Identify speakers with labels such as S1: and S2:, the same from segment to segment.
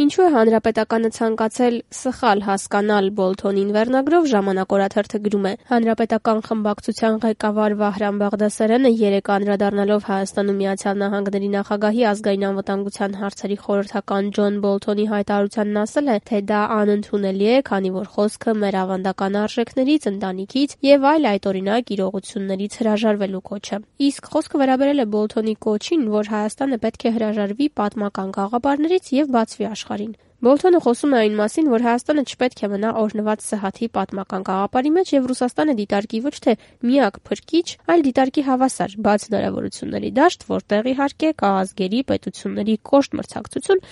S1: Ինչու է հանրապետականը ցանկացել սխալ հասկանալ Բոլթոնին վերնագրով ժամանակ օրաթերթը գրում է. Հանրապետական խմբակցության ղեկավար Վահրամ Բաղդասարյանը երեկ անդրադառնալով Հայաստանում Միացյալ Նահանգների նախագահի ազգային անվտանգության հարցերի խորհրդական Ջոն Բոլթոնի հայտարարությանն ասել է, թե դա անընդունելի է, քանի որ խոսքը մեր ավանդական արժեքներից, ընտանիքից եւ այլ այդօրինակ իրողություններից հրաժարվելու կոչ է։ Իսկ խոսքը վերաբերել է Բոլթոնի կոչին, որ Հայաստանը պետք է հրաժարվի պատմական գաղափարներից եւ բացվի աշխարհին։ Բոլթոնը խոսում է այն մասին, որ Հայաստանը չպետք է մնա օրհնված Սահաթի պատմական գաղափարի մեջ եւ Ռուսաստանը դիտարկի ոչ թե միակ փրկիչ, այլ դիտարկի հավասար, բաց հնարավորությունների դաշտ, որտեղ իհարկե կա ազգերի, պետությունների կոշտ մրցակցություն,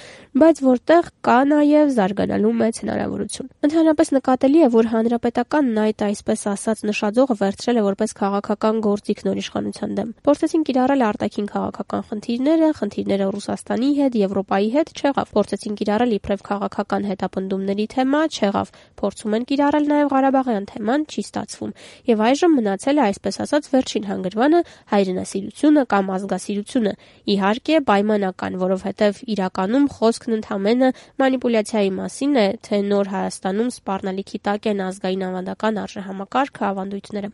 S1: բայց որտեղ կա նաեւ զարգանալու մեծ հնարավորություն։ Ընդհանրապես նկատելի է, որ հանրապետականն այդ այսպես ասած նշաձողը վերցրել է որպես քաղաքական գործիք նոր իշխանության դեմ։ Փորձեցին կիրառել արտաքին քաղաքական խնդիրները Ռուսաստանի հետ, Եվրոպայի հետ չեղավ։ Փորձեցին կիրառել իբրև քաղաքական հետապնդումների թեմա, չեղավ, փորձում են կիրառել նաև Ղարաբաղյան թեման, չի ստացվում։ Եվ այժմ մնացել է այսպես ասած վերջին հանգրվանը հայրենասիրությունը կամ ազգասիրությունը։ Իհարկե պայմանական, որովհետև իրականում խոսքն ընդհանրապես մանիպուլյացիայի մասին է, թե նոր Հայաստանում սպառնալիքի տակ են ազգային ավանդական արժեհամակարգը, ավանդույթները։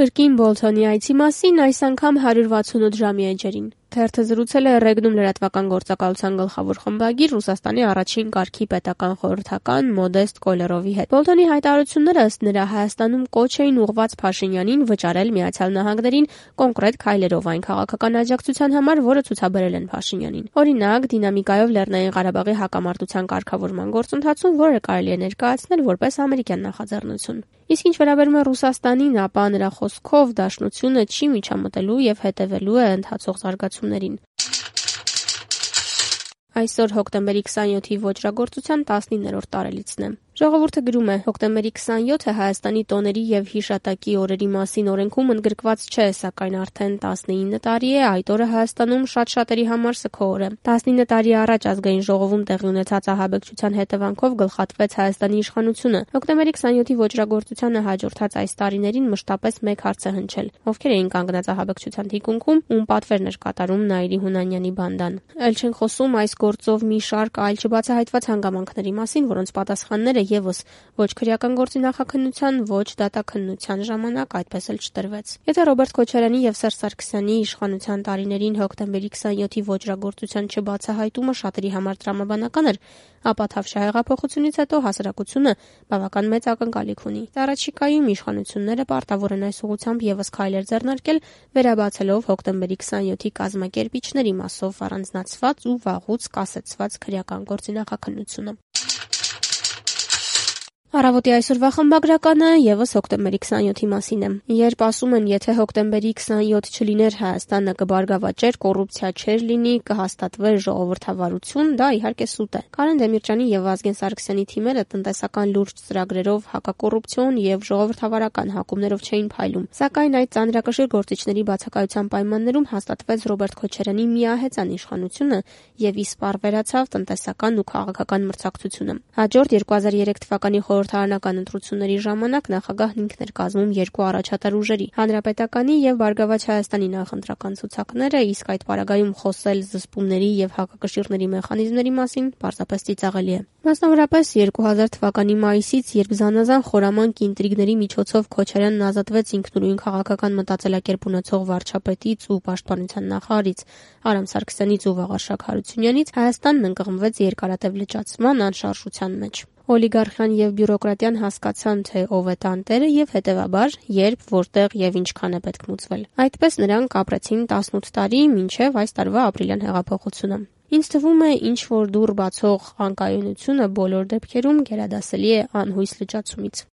S1: Կրկին Բոլթոնի այցի մասին այս անգամ 168 ժամի էջերին։ Թերթը զրուցել է Ռեգնում լրատվական գործակալության գլխավոր խմբագիր Ռուսաստանի առաջին կարգի պետական խորհրդական Մոդեստ Կոլերովի հետ։ Բոլթոնի հայտարարությունները ըստ նրա Հայաստանում կոչ էին ուղղված Փաշինյանին վճարել Միացյալ Նահանգներին կոնկրետ քայլերով այն քաղաքական աջակցության համար, որը ցուցաբերել են Փաշինյանին։ Օրինակ, դինամիկայով Լեռնային Ղարաբաղի հակամարտության կարգավորման գործընթացում, որը կարելի է ներկայացնել որպես ամերիկյան նախաձեռնություն։ Իսկ ինչ վերաբերում է Ռուսաստանին, ապա նրա խոսքով դաշնությունը չի միջամտելու եւ հետևելու է ընթացող զարգացումներին։ Այսօր հոկտեմբերի 27-ի ոճրագործության 19-րդ տարելիցն է։ Ժողովուրդը գրում է. հոկտեմբերի 27-ը Հայաստանի տոների եւ հիշատակի օրերի մասին օրենքում ընդգրկված չէ, սակայն արդեն 19 տարի է այդ օրը Հայաստանում շատ-շատերի համար սգո օր է։ 19 տարի առաջ ազգային ժողովում տեղի ունեցած ահաբեկչության հետևանքով գլխատվեց Հայաստանի իշխանությունը։ Հոկտեմբերի 27-ի ոճրագործությանը հաջորդած այս տարիներին մշտապես մեկ հարց է հնչել. ովքեր էին կանգնած ահաբեկչության թիկունքում, ում պատվերն էր կատարում Նաիրի Հունանյանի բանդան։ Այլ չեն խոսում այս գործով մի շարք այլ չբացահայտված հանգամանքների մասին, որոնց պատասխանները եւս ոչ քրեական գործի նախաքննության, ոչ դատաքննության ժամանակ այդպես էլ չտրվեց։ Եթե Ռոբերտ Քոչարյանի եւ Սերժ Սարգսյանի իշխանության տարիներին հոկտեմբերի 27-ի ոճրագործության չբացահայտումը շատերի համար տրամաբանական էր, ապա Թավշյա հեղափոխությունից հետո հասարակությունը բավական մեծ ակնկալիք ունի։ Առաջիկայում իշխանությունները պարտավոր են այս ուղղությամբ եւս քայլեր ձեռնարկել, վերաբացելով հոկտեմբերի 27-ի կազմակերպիչների մասով առանձնացված ու վաղուց կասեցված քրեական գործի նախաքննությունը։ Առավոտի այսօրվա խմբագրականը եւս հոկտեմբերի 27-ի մասին է։ Երբ ասում են, եթե հոկտեմբերի 27 չլիներ Հայաստանը կբարգավաճեր, կոռուպցիա չէր լինի, կհաստատվեր ժողովրդավարություն, դա իհարկե սուտ է։ Կարեն Դեմիրճյանի եւ Վազգեն Սարգսյանի թիմերը տնտեսական լուրջ ծրագրերով հակակոռուպցիոն եւ ժողովրդավարական հակումներով չէին փայլում։ Սակայն այդ ծանրակշիռ գործիչների բացակայության պայմաններում հաստատվեց Ռոբերտ Քոչարյանի միահեծան իշխանությունը եւ իսպառ վերացավ տնտեսական ու քաղաքական մրցակցությունը։ Հաջորդ 2003 թվականի խորհրդարանական ընտրությունների ժամանակ նախագահն ինքն էր կազմում երկու առաջատար ուժերի՝ Հանրապետականի եւ Բարգավաճ Հայաստանի նախընտրական ցուցակները, իսկ այդ պարագայում խոսել զսպումների եւ հակակշիռների մեխանիզմների մասին պարզապես ծիծաղելի է։ Մասնավորապես 2000 թվականի մայիսից, երբ զանազան խորամանկ ինտրիգների միջոցով Քոչարյանն ազատվեց ինքնուրույն քաղաքական մտածելակերպ ունեցող վարչապետից ու պաշտպանության նախարարից Արամ Սարգսյանից ու Վաղարշակ Հարությունյանից, Հայաստանն ընկղմվեց երկարատև լճացման անշարժության մեջ։ Օլիգարխիան եւ բյուրոկրատիան հասկացան, թե ով է տանտերը եւ հետեւաբար երբ, որտեղ եւ ինչքան է պետք մուծվել։ Այդպես նրանք ապրեցին 18 տարի մինչեւ այս տարվա ապրիլյան հեղափոխությունը։ Ինձ թվում է, ինչ որ դուռ բացող անկայունությունը բոլոր դեպքերում գերադասելի է անհույս լճացումից։